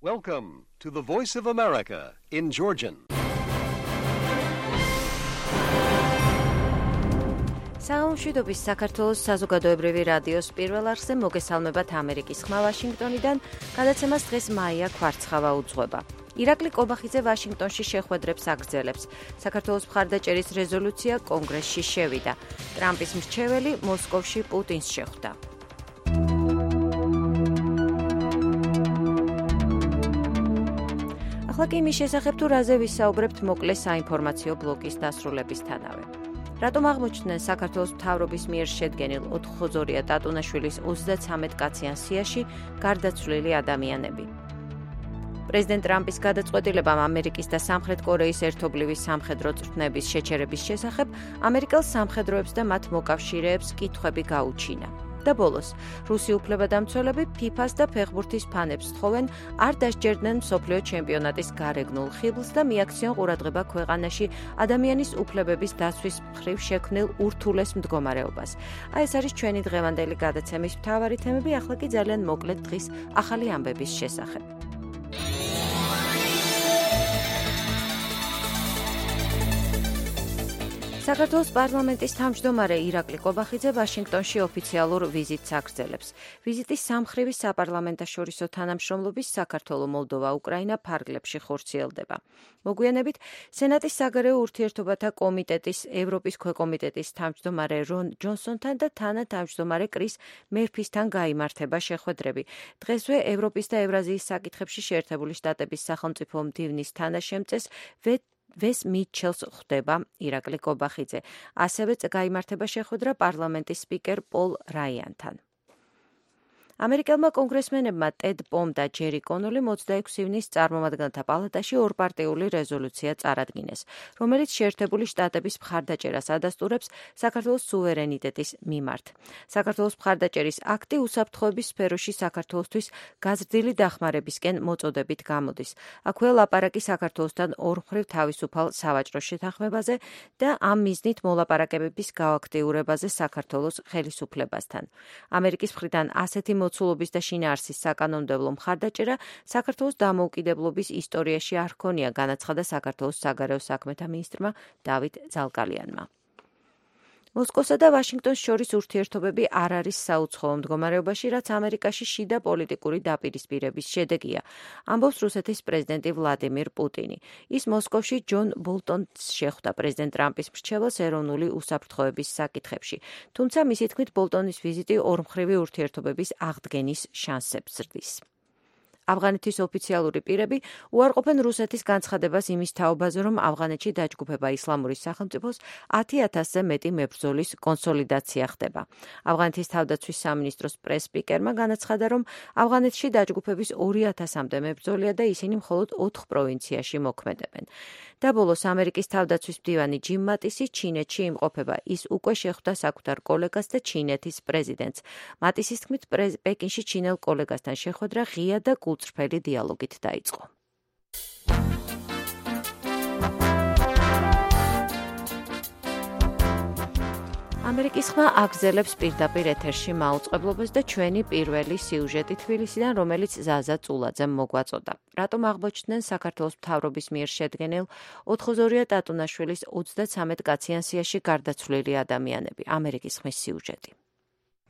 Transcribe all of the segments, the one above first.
Welcome to the Voice of America in Georgian. საამშვიდობის საქართველოს საზოგადოებრივი რადიოს პირველ არხზე მოგესალმებათ ამერიკის ხმა ვაშინგტონიდან, გადაცემას დღეს მაია კვარცხავა უძღვება. ირაკლი კობახიძე ვაშინგტონში შეხვედრებს აგრძელებს. საქართველოს მხარდაჭერის რეზოლუცია კონგრესში შევიდა. ტრამპის მრჩეველი მოსკოვში პუტინს შეხვდა. ახლა კი იმის შესახებ თუ რაზე ვისაუბრებთ მოკლე საინფორმაციო ბლოკის დასრულებისთანავე. რატომ აღმოჩნდნენ საქართველოს მთავრობის მიერ შედგენილ 4-ხოზორია ტატუნაშვილის 33 კაციან სიაში გარდაცვლილი ადამიანები? პრეზიდენტ ტრამპის გადაწყვეტილებამ ამერიკის და სამხრეთ კორეის ერთობლივი სამხედრო წვრთნების შეჩერების შესახებ ამერიკელ სამხედროებს და მათ მოკავშირეებს კითხვები გაუჩინა. და ბოლოს, რუსი უფლებადამცველები ფიფას და ფეხბურთის ფანებს თხოვენ არ დასჯერდნენ მსოფლიო ჩემპიონატის გარეგნულ ხიბლს და მიაქციონ ყურადღება ქვეყანაში ადამიანის უფლებების დაცვის მხრივ შექმნილ ურთულეს მდგომარეობას. აი ეს არის ჩვენი დღევანდელი გადაცემის მთავარი თემები, ახლა კი ძალიან მოკლედ დღის ახალი ამბების შესახებ. საქართველოს პარლამენტის თავმჯდომარე ირაკლი კობახიძე ვაშინგტონში ოფიციალურ ვიზიტს აგრძელებს. ვიზიტის სამხრივი საპარლამენტაშორისო თანამშრომლობის საქართველო, მოლდოვა, უკრაინა ფარგლებში ხორციელდება. მოგვიანებით სენატის საგარეო ურთიერთობათა კომიტეტის ევროპის ქვეკომიტეტის თავმჯდომარე რონ ჯონსონთან და თანათავმჯდომარე კრის მერფისთან გაიმართება შეხვედრები. დღესვე ევროპის და ევრაზიის საკითხებში შეერთებული შტატების სახელმწიფო მდივნის თანაშემწეს ვეს მიტჩელს ხვდება ირაკლი კობახიძე. ასევე გაიმართება შეხვედრა პარლამენტის სპიკერ პოლ რაიანთან. ამერიკელმა კონგრესმენებმა ტედ პომ და ჯერი კონოლი 26 ივნისს წარმომადგენელთა პალატაში ორპარტიული რეზოლუცია წარადგინეს, რომელიც შეერთებული შტატების მხარდაჭერას ადასტურებს საქართველოს სუვერენიტეტის მიმართ. საქართველოს მხარდაჭერის აქტი უსაფრთხოების სფეროში საქართველოსთვის გაზრდილი დახმარებისკენ მოწოდებით გამოდის. აქვე ლაპარაკი საქართველოსთან ორმხრივ თავისუფალ სავაჭრო შეთანხმებაზე და ამ მიზნით მოლაპარაკებების გააქტიურებაზე საქართველოს ხელისუფლებასთან. ამერიკის მხრიდან ასეთი მოცულობის და შინაარსის საკანონმდებლო მხარდაჭერა საქართველოს დამოუკიდებლობის ისტორიაში არ ჰქონია, განაცხადა საქართველოს საგარეო საქმეთა მინისტრმა დავით ზალკალიანმა. მოსკოვსა და ვაშინგტონს შორის ურთიერთობები არ არის საუცხოო მდგომარეობაში, რაც ამერიკაში შიდა პოლიტიკური დაპირისპირების შედეგია, ამბობს რუსეთის პრეზიდენტი ვლადიმირ პუტინი. ის მოსკოვში ჯონ ბოლტონს შეხვდა პრეზიდენტ ტრამპის მრჩეველს ეროვნული უსაფრთხოების საკითხებში. თუმცა მისი თქმით ბოლტონის ვიზიტი ორმხრივი ურთიერთობების აღდგენის შანსებს ზრდის. ავღანეთის ოფიციალური პირები უარყოფენ რუსეთის განცხადებას იმის თაობაზე, რომ ავღანეთში დაჯგუფება ისლამური სახელმწიფოს 10,000-ზე მეტი მებრძოლის კონსოლიდაცია ხდება. ავღანეთის თავდაცვის სამინისტროს პრეს-სპიკერმა განაცხადა, რომ ავღანეთში დაჯგუფების 2,000-მდე მებრძოლია და ისინი მხოლოდ 4 პროვინციაში მოქმედებენ. და ბოლოს ამერიკის თავდაცვის მდივანი ჯიმ მატისი ჩინეთში იმყოფება. ის უკვე შეხვდა საკუთარ კოლეგას და ჩინეთის პრეზიდენტს. მატისის თქმით, პეკინში ჩინელ კოლეგასთან შეხვედრა ღია და გულწრფელი დიალოგით დაიწყო. ამერიკის ხმა აგრძელებს პირდაპირ ეთერში მაუწყებლობას და ჩვენი პირველი სიუჟეტი თბილისიდან, რომელიც ზაზა წულაძემ მოგვაწოდა. რატომ აღმოჩნდნენ საქართველოს მთავრობის მიერ შედგენილ 4-ხოზორია ტატუნაშვილის 33 კაციან სიაში გარდაცვლილი ადამიანები? ამერიკის ხმის სიუჟეტი.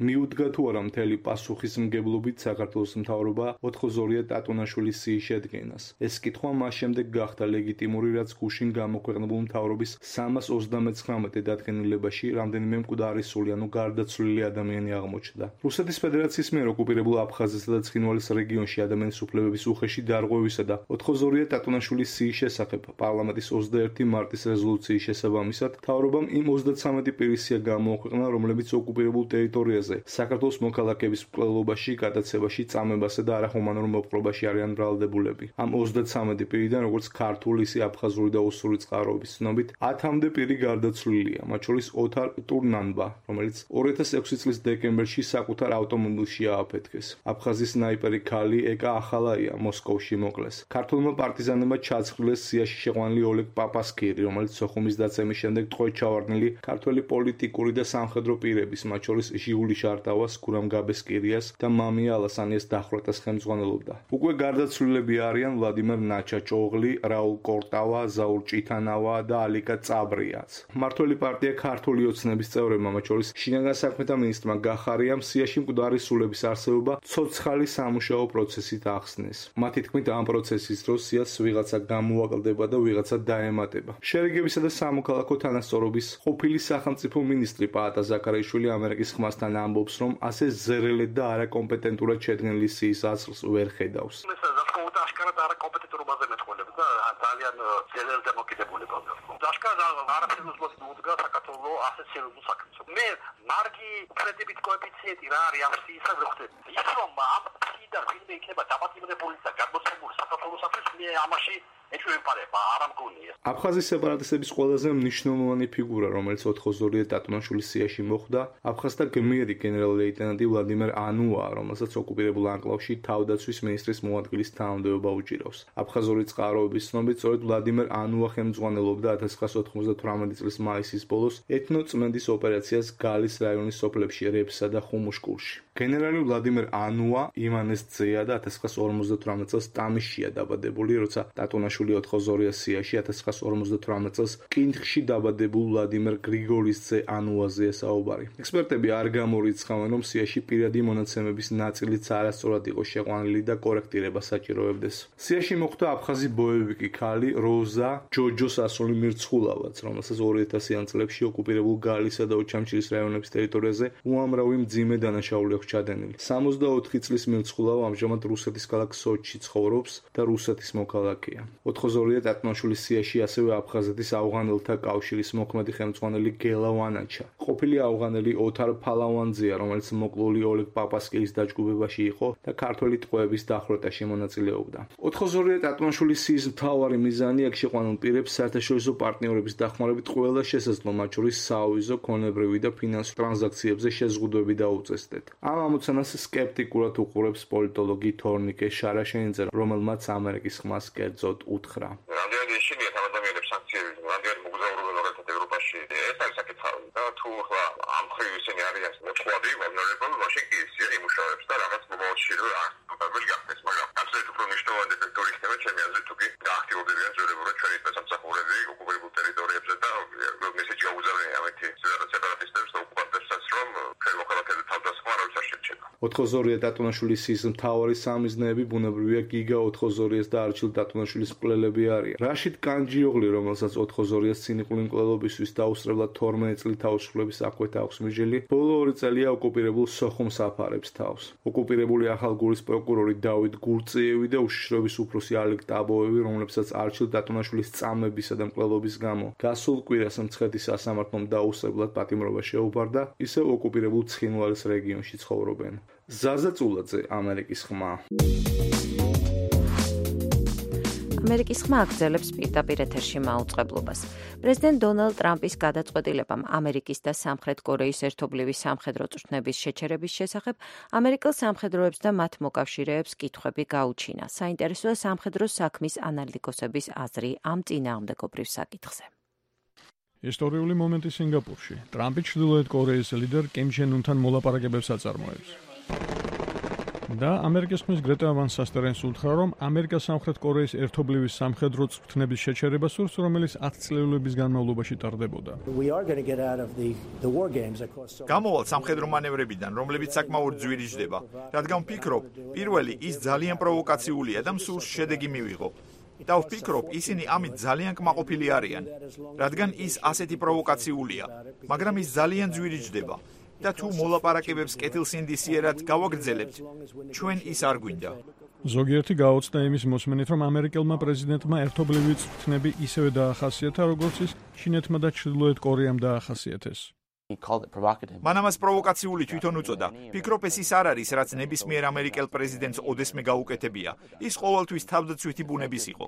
მიუდგა თუ არა მთელი პასუხისმგებლობით საქართველოს მთავრობა 4-ხოზორია ტატუნაშვილის სიის შედგენას. ეს კითხვა მას შემდეგ გახდა ლეგიტიმური, რაც გუშინ გამოქვეყნებულ მთავრობის 329 დადგენილებაში რამდენიმე მკვდარისული, ანუ გარდაცვლილი ადამიანი აღმოჩნდა. რუსეთის ფედერაციის მიერ ოკუპირებულ აფხაზეთსა და ცხინვალის რეგიონში ადამიანის უფლებების უხეში დარღვევისა და 4-ხოზორია ტატუნაშვილის სიის შესახებ პარლამენტის 21 მარტის რეზოლუციის შესაბამისად მთავრობამ იმ 33 პირის სია გამოაქვეყნა, რომლებიც ოკუპირებულ ტერიტორიაზე საქართველოს მოქალაქეების მკვლელობაში, გადაცებაში, წამებასა და არახუმანურ მოპყრობაში არიან ბრალდებულები. ამ 33 პირიდან, როგორც ქართული, ისე აფხაზური და ოსური წყაროების ცნობით, 10-მდე პირი გარდაცვლილია, მათ შორის ოთარ ტურნანბა, რომელიც 2006 წლის დეკემბერში საკუთარ ავტომობილში ააფეთქეს. აფხაზის სნაიპერი ქალი ეკა ახალაია მოსკოვში მოკლეს. ქართულმა პარტიზანებმა ჩაცხრილეს სიაში შეყვანილი ოლეგ პაპასკირი, რომელიც სოხუმის დაცემის შემდეგ ტყვედ ჩავარდნილი ქართველი პოლიტიკური და სამხედრო პირების, მათ შორის ჟიულის გული შარტავას, გურამ გაბესკირიას და მამია ალასანიას დახვრეტას ხელმძღვანელობდა. უკვე გარდაცვლილები არიან ვლადიმერ ნაჩაჭოღლი, რაულ კორტავა, ზაურ ჭითანავა და ალიკა წაბრიაც. მმართველი პარტია ქართული ოცნების წევრებმა, მათ შორის შინაგან საქმეთა მინისტრმა გახარიამ სიაში მკვდარი სულების არსებობა ცოცხალი სამუშაო პროცესით ახსნეს. მათი თქმით, ამ პროცესის დროს სიას ვიღაცა გამოაკლდება და ვიღაცა დაემატება. შერიგებისა და სამოქალაქო თანასწორობის ყოფილი სახელმწიფო მინისტრი პაატა ზაქარაიშვილი ამერიკის ხმასთან ამბობს, რომ ასე ზერელედ და არაკომპეტენტურად შედგენილი სიის აზრს ვერ ხედავს. აშკარად არაკომპეტენტურობაზე მეტყველებს და ძალიან ძლიერ დამოკიდებულებაზე. აშკარად არაფერს მოუდგა საქართველოს ასეთ სერიოზულ საქმეს. მე მარგი კრედიტით კოეფიციენტი რა არის ამ სიისა ვხვდები. ის რომ ამ სიდა ვინმე იქნება დაბატიმებული და გადმოცემული საქართველოსთვის მე ამაში ეჭვმეპარება არ ამგონია. აფხაზის სეპარატისტების ყველაზე მნიშვნელოვანი ფიგურა, რომელიც 82 დატონაშვილის სიაში მოხვდა, აფხაზთა გმირი გენერალ-ლეიტენანტი ვლადიმერ ანუაა, რომელსაც ოკუპირებულ ანკლავში თავდაცვის მინისტრის მოადგილის თანამდებობა უჭირავს. აფხაზური წყაროების ცნობით, სწორედ ვლადიმერ ანუა ხელმძღვანელობდა 1998 წლის მაისის ბოლოს ეთნოწმენდის ოპერაციას გალის რაიონის სოფლებში რეფსა და ხუმუშკულში. გენერალი ვლადიმერ ანუა ივანეს ძეა და 1958 წელს ტამიშია დაბადებული, როცა დატონაშვილი 82 სიაში 1958 წელს კინთხში დაბადებულ ვლადიმერ გრიგოლის ძე ანუაზეა საუბარი. ექსპერტები არ გამორიცხავენ, რომ სიაში პირადი მონაცემების ნაწილიც არასწორად იყო შეყვანილი და კორექტირება საჭიროებდეს. სიაში მოხვდა აფხაზი ბოევიკი ქალი როზა ჯოჯოს ასული მირცხულავაც, რომელსაც 2000-იან წლებში ოკუპირებულ გალისა და ოჩამჩირის რაიონების ტერიტორიაზე უამრავი მძიმე დანაშაული აქვს ჩადენილი. 64 წლის მირცხულავა ამჟამად რუსეთის ქალაქ სოჩში ცხოვრობს და რუსეთის მოქალაქეა. 82 დატონაშვილის სიაში ასევე აფხაზეთის ავღანელთა კავშირის მოქმედი ხელმძღვანელი გელა ვანაჩა. ყოფილი ავღანელი ოთარ ფალავანძეა, რომელიც მოკლული ოლეგ პაპასკილის დაჯგუფებაში იყო და ქართველი ტყვეების დახვრეტაში მონაწილეობდა. 82 დატონაშვილის სიის მთავარი მიზანი აქ შეყვანილ პირებს საერთაშორისო პარტნიორების დახმარებით ყველა შესაძლო, მათ შორის საავიზო, ქონებრივი და ფინანსურ ტრანზაქციებზე შეზღუდვები დაუწესდეთ. ამ ამოცანას სკეპტიკურად უყურებს პოლიტოლოგი თორნიკე შარაშენიძე, რომელმაც ამერიკის ხმას კერძოდ უთხრა. რამდენად ეშინია ამ ადამიანებს სანქციები, რამდენად მოგზაურობენ ორერთად ევროპაში. ეს არის საკითხი და თუ ახლა ამ ხრივ ისინი არიან მოწყვლადი, vulnerable, მაშინ კი ისე იმუშავებს და რაღაც მომავალში რომ აღწევს გახდეს, მაგრამ absolutely უფრო მნიშვნელოვანი ეფექტური იქნება ჩემი აზრით, თუ კი გააქტიურდებიან ძველებურად ჩვენი სამსახურები ოკუპირებულ ტერიტორიებზე და მესეჯი გაუზარდიან ამეთი სეპარატისტებს და ოკუპანტებსაც, რომ ჩვენ მოქალაქეთა თავდასხმა არავის არ შეჩება. 82 დატონაშვილის სიის მთავარი სამიზნეები ბუნებრივია გიგა 82-ის და არჩილ დატონაშვილის მკვლელები არიან. რაშიდ კანჯიოღლი, რომელსაც 82-ის ცინიკური მკვლელობისთვის დაუსწრებლად 12 წლით თავისუფლების აკვეთა აქვს მიჯილი, ბოლო 2 წელია ოკუპირებულ სოხუმს აფარებს თავს. ოკუპირებული ახალგურის პროკურორი დავით გურწიევი და უშიშროების უფროსი ალეკ ტაბოევი, რომლებსაც არჩილ დატონაშვილის წამებისა და მკვლელობის გამო გასულ კვირას მცხეთის სასამართლომ დაუსწრებლად პატიმრობა შეუპარდა, ისევ ოკუპირებულ ცხინვალის რეგიონში ცხოვრობენ. ზაზა წულაძე, ამერიკის ხმა. ამერიკის ხმა აგრძელებს პირდაპირ ეთერში მაუწყებლობას. პრეზიდენტ დონალდ ტრამპის გადაწყვეტილებამ ამერიკის და სამხრეთ კორეის ერთობლივი სამხედრო წვრთნების შეჩერების შესახებ ამერიკელ სამხედროებს და მათ მოკავშირეებს კითხვები გაუჩინა. საინტერესოა სამხედრო საქმის ანალიტიკოსების აზრი ამ წინააღმდეგობრივ საკითხზე. ისტორიული მომენტი სინგაპურში. ტრამპი ჩრდილოეთ კორეის ლიდერ კიმ ჩენ უნთან მოლაპარაკებებს აწარმოებს. და ამერიკის ხმის გრეტა ვან სასტერენს უთხრა, რომ ამერიკა სამხრეთ კორეის ერთობლივი სამხედრო წვრთნების შეჩერება სურს, რომელიც 10 წლების განმავლობაში ტარდებოდა. გამოვალ სამხედრო მანევრებიდან, რომლებიც საკმაოდ ძვირიჯდება, რადგან ვფიქრობ, პირველი ის ძალიან პროვოკაციულია და მსურს შედეგი მივიღო. და ვფიქრობ, ისინი ამით ძალიან კმაყოფილი არიან, რადგან ის ასეთი პროვოკაციულია, მაგრამ ის ძალიან ძვირიჯდება. და თუ მოლაპარაკებებს კეთილსინდისიერად გავაგრძელებთ, ჩვენ ის არ გვინდა. ზოგიერთი გაოცდა იმის მოსმენით, რომ ამერიკელმა პრეზიდენტმა ერთობლივი წვრთნები ისევე დაახასიათა, როგორც ის ჩინეთმა და ჩრდილოეთ კორეამ დაახასიათეს. მან ამას პროვოკაციული თვითონ უწოდა. ფიქრობ, ეს ის არ არის, რაც ნებისმიერ ამერიკელ პრეზიდენტს ოდესმე გაუკეთებია. ის ყოველთვის თავდაცვითი ბუნების იყო.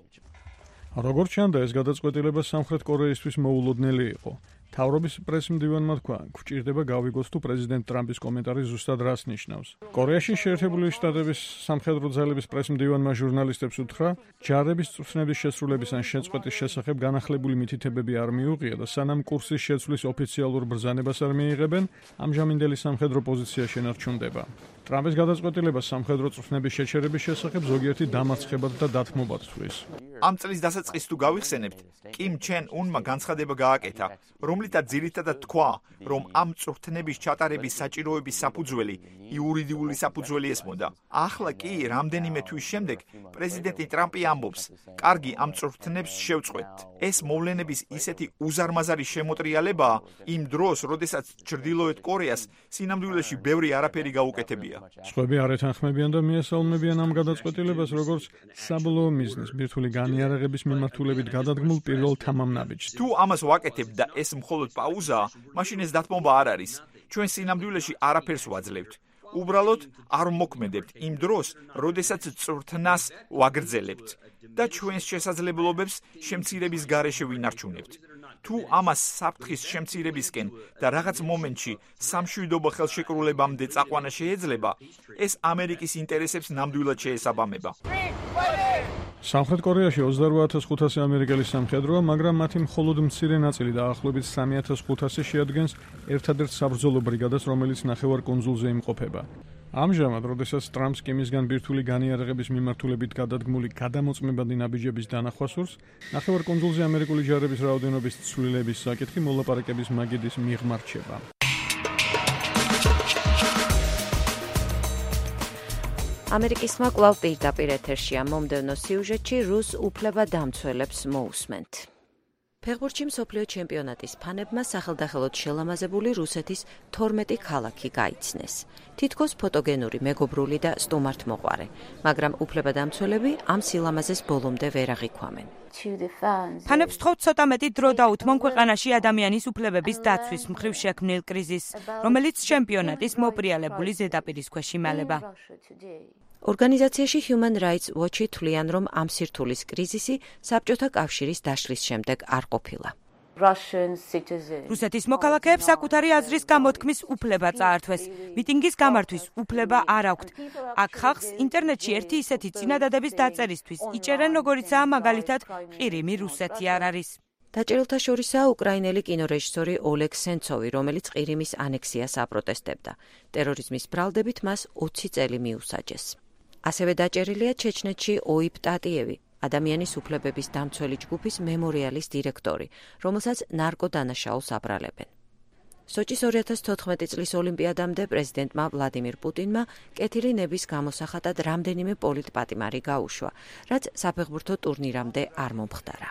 როგორც ჩანდა, ეს გადაწყვეტილება სამხრეთ კორეისთვის მოულოდნელი იყო. თავრობის პრესმდივანმა თქვა, გვჭირდება გავიგოს თუ პრეზიდენტ ტრამპის კომენტარი ზუსტად რას ნიშნავს. კორეაში შეერთებული შტატების სამხედრო ძალების პრესმდივანმა ჟურნალისტებს უთხრა, ჯარების წვრთნების შესრულების ან შეწყვეტის შესახებ განახლებული მითითებები არ მიუღია და სანამ კურსის შეცვლის ოფიციალურ ბრძანებას არ მიიღებენ, ამჟამინდელი სამხედრო პოზიცია შენარჩუნდება. ტრამპის გადაწყვეტილება სამხედრო წვრთნების შეჩერების შესახებ ზოგიერთი დამარცხებად და დათმობად თვლის. ამ წლის დასაწყისს თუ გავიხსენებთ, კიმ ჩენ უნმა განცხადება გააკეთა, რომლითაც ძირითადად თქვა, რომ ამ წვრთნების ჩატარების საჭიროების საფუძველი იურიდიული საფუძველი ესმოდა. ახლა კი რამდენიმე თვის შემდეგ პრეზიდენტი ტრამპი ამბობს, კარგი, ამ წვრთნებს შევწყვეტთ. ეს მოვლენების ისეთი უზარმაზარი შემოტრიალებაა იმ დროს, როდესაც ჩრდილოეთ კორეას სინამდვილეში ბევრი არაფერი გაუკეთებია. სხვები არ ეთანხმებიან და მიესალმებიან ამ გადაწყვეტილებას, როგორც საბოლოო მიზნის ბირთვული განიარაღების მიმართულებით გადადგმულ პირველ თამამნაბიჯს. თუ ამას ვაკეთებთ და ეს მხოლოდ პაუზაა, მაშინ ეს დათმობა არ არის. ჩვენ სინამდვილეში არაფერს ვაძლევთ. უბრალოდ არ მოქმედებთ იმ დროს, როდესაც წვრთნას ვაგრძელებთ და ჩვენს შესაძლებლობებს შემცირების გარეშე ვინარჩუნებთ. თუ ამას საფრთხის შემცირებისკენ და რაღაც მომენტში სამშვიდობო ხელშეკრულებამდე წაყვანა შეეძლება, ეს ამერიკის ინტერესებს ნამდვილად შეესაბამება. სამხრეთ კორეაში 28,500 ამერიკელი სამხედროა, მაგრამ მათი მხოლოდ მცირე ნაწილი დაახლოებით 3500 შეადგენს ერთადერთ საბრძოლო ბრიგადას, რომელიც ნახევარკუნძულზე იმყოფება. ამჟამად, როდესაც ტრამპს კიმისგან ბირთვული განიარაღების მიმართულებით გადადგმული გადამოწმებადი ნაბიჯების დანახვა სურს, ნახევარკუნძულზე ამერიკული ჯარების რაოდენობის ცვლილების საკითხი მოლაპარაკების მაგიდის მიღმა რჩება. ამერიკის ხმა კვლავ პირდაპირ ეთერშია. მომდევნო სიუჟეტში რუს უფლებადამცველებს მოусმენთ. ფეხბურთში მსოფლიო ჩემპიონატის ფანებმა სახელდახელოდ შელამაზებული რუსეთის 12 ქალაქი გაიცნეს. თითქოს ფოტოგენური, მეგობრული და სტუმართმოყვარე, მაგრამ უფლებადამცველები ამ სილამაზეს ბოლომდე ვერ აღიქვამენ. ფანებს ვთხოვთ ცოტა მეტი დრო დაუთმონ ქვეყანაში ადამიანის უფლებების დაცვის მხრივ შექმნილ კრიზისს, რომელიც ჩემპიონატის მოპრიალებული ზედაპირის ქვეშ იმალება. ორგანიზაციაში Human Rights Watch-ი თვლიან, რომ ამ სირთულის კრიზისი საბჭოთა კავშირის დაშლის შემდეგ არ ყოფილა. რუსეთის მოქალაქეებს საკუთარი აზრის გამოთქმის უფლება წაართვეს. მიტინგის გამართვის უფლება არ აქვთ. აქ ხალხს ინტერნეტში ერთი ისეთი წინადადების დაწერისთვის იჭერენ, როგორიცაა მაგალითად ყირიმი რუსეთი არ არის. დაჭერილთა შორისაა უკრაინელი კინორეჟისორი ოლეგ სენცოვი, რომელიც ყირიმის ანექსიას აპროტესტებდა. ტერორიზმის ბრალდებით მას 20 წელი მიუსაჯეს. ასევე დაჭერილია ჩეჩნეთში ოიპ ტატიევი, ადამიანის უფლებების დამცველი ჯგუფის მემორიალის დირექტორი, რომელსაც ნარკოდანაშაულს აბრალებენ. სოჭის 2014 წლის ოლიმპიადამდე პრეზიდენტმა ვლადიმირ პუტინმა კეთილი ნების გამოსახატად რამდენიმე პოლიტპატიმარი გაუშვა, რაც საფეხბურთო ტურნირამდე არ მომხდარა.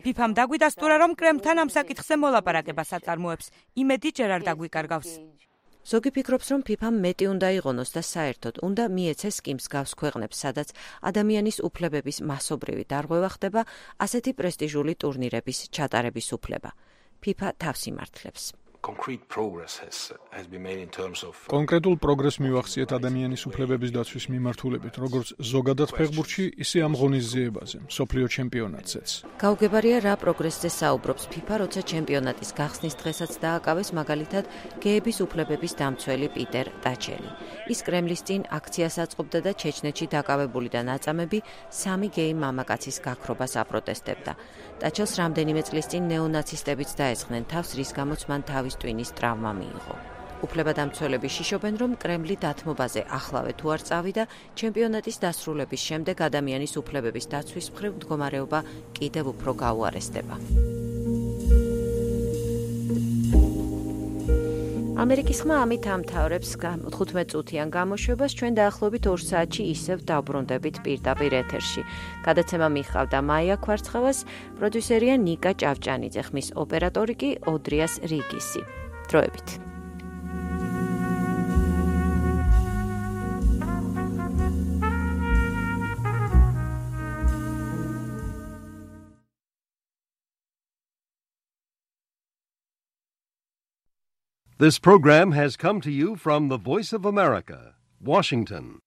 ფიფამ დაგვიდასტურა, რომ კრემლთან ამ საკითხზე მოლაპარაკებას აწარმოებს. იმედი ჯერ არ დაგვიკარგავს. ზოგი ფიქრობს, რომ ფიფამ მეტი უნდა იღონოს და საერთოდ უნდა მიეცეს კიმს გავს ქვეყნებს, სადაც ადამიანის უფლებების მასობრივი დარღვევა ხდება, ასეთი პრესტიჟული ტურნირების ჩატარების უფლება. ფიფა თავს იმართლებს. კონკრეტულ პროგრესს მივახციეთ ადამიანის უფლებების დაცვის მიმართულებით, როგორც ზოგადად ფეხბურთში, ისე ამ ღონისძიებაზე, მსოფლიო ჩემპიონატზეც. გაუგებარია რა პროგრესზე საუბრობს ფიფა, როცა ჩემპიონატის გახსნის დღესაც დააკავეს მაგალითად გეების უფლებების დამცველი პიტერ ტაჩელი. ის კრემლის წინ აქციას აწყობდა და ჩეჩნეთში დაკავებული და ნაწამები 3 გეი მამაკაცის გაქრობას აპროტესტებდა. ტაჩელს რამდენიმე წლის წინ ნეონაცისტებიც დაესხნენ თავს, რის გამოც მან თავის ტვინის ტრავმა მიიღო. უფლებადამცველები შიშობენ, რომ კრემლი დათმობაზე ახლავე თუ არ წავიდა, ჩემპიონატის დასრულების შემდეგ ადამიანის უფლებების დაცვის მხრივ მდგომარეობა კიდევ უფრო გაუარესდება. ამერიკის ხმა ამით ამთავრებს 15 წუთიან გამოშვებას. ჩვენ დაახლოებით 2 საათში ისევ დავბრუნდებით პირდაპირ ეთერში. გადაცემა მიხავდა მაია ქვარცხავას, პროდიუსერია ნიკა ჭავჭანიძე, ხმის ოპერატორი კი ოდრიას რიგისი. დროებით. This program has come to you from the Voice of America, Washington.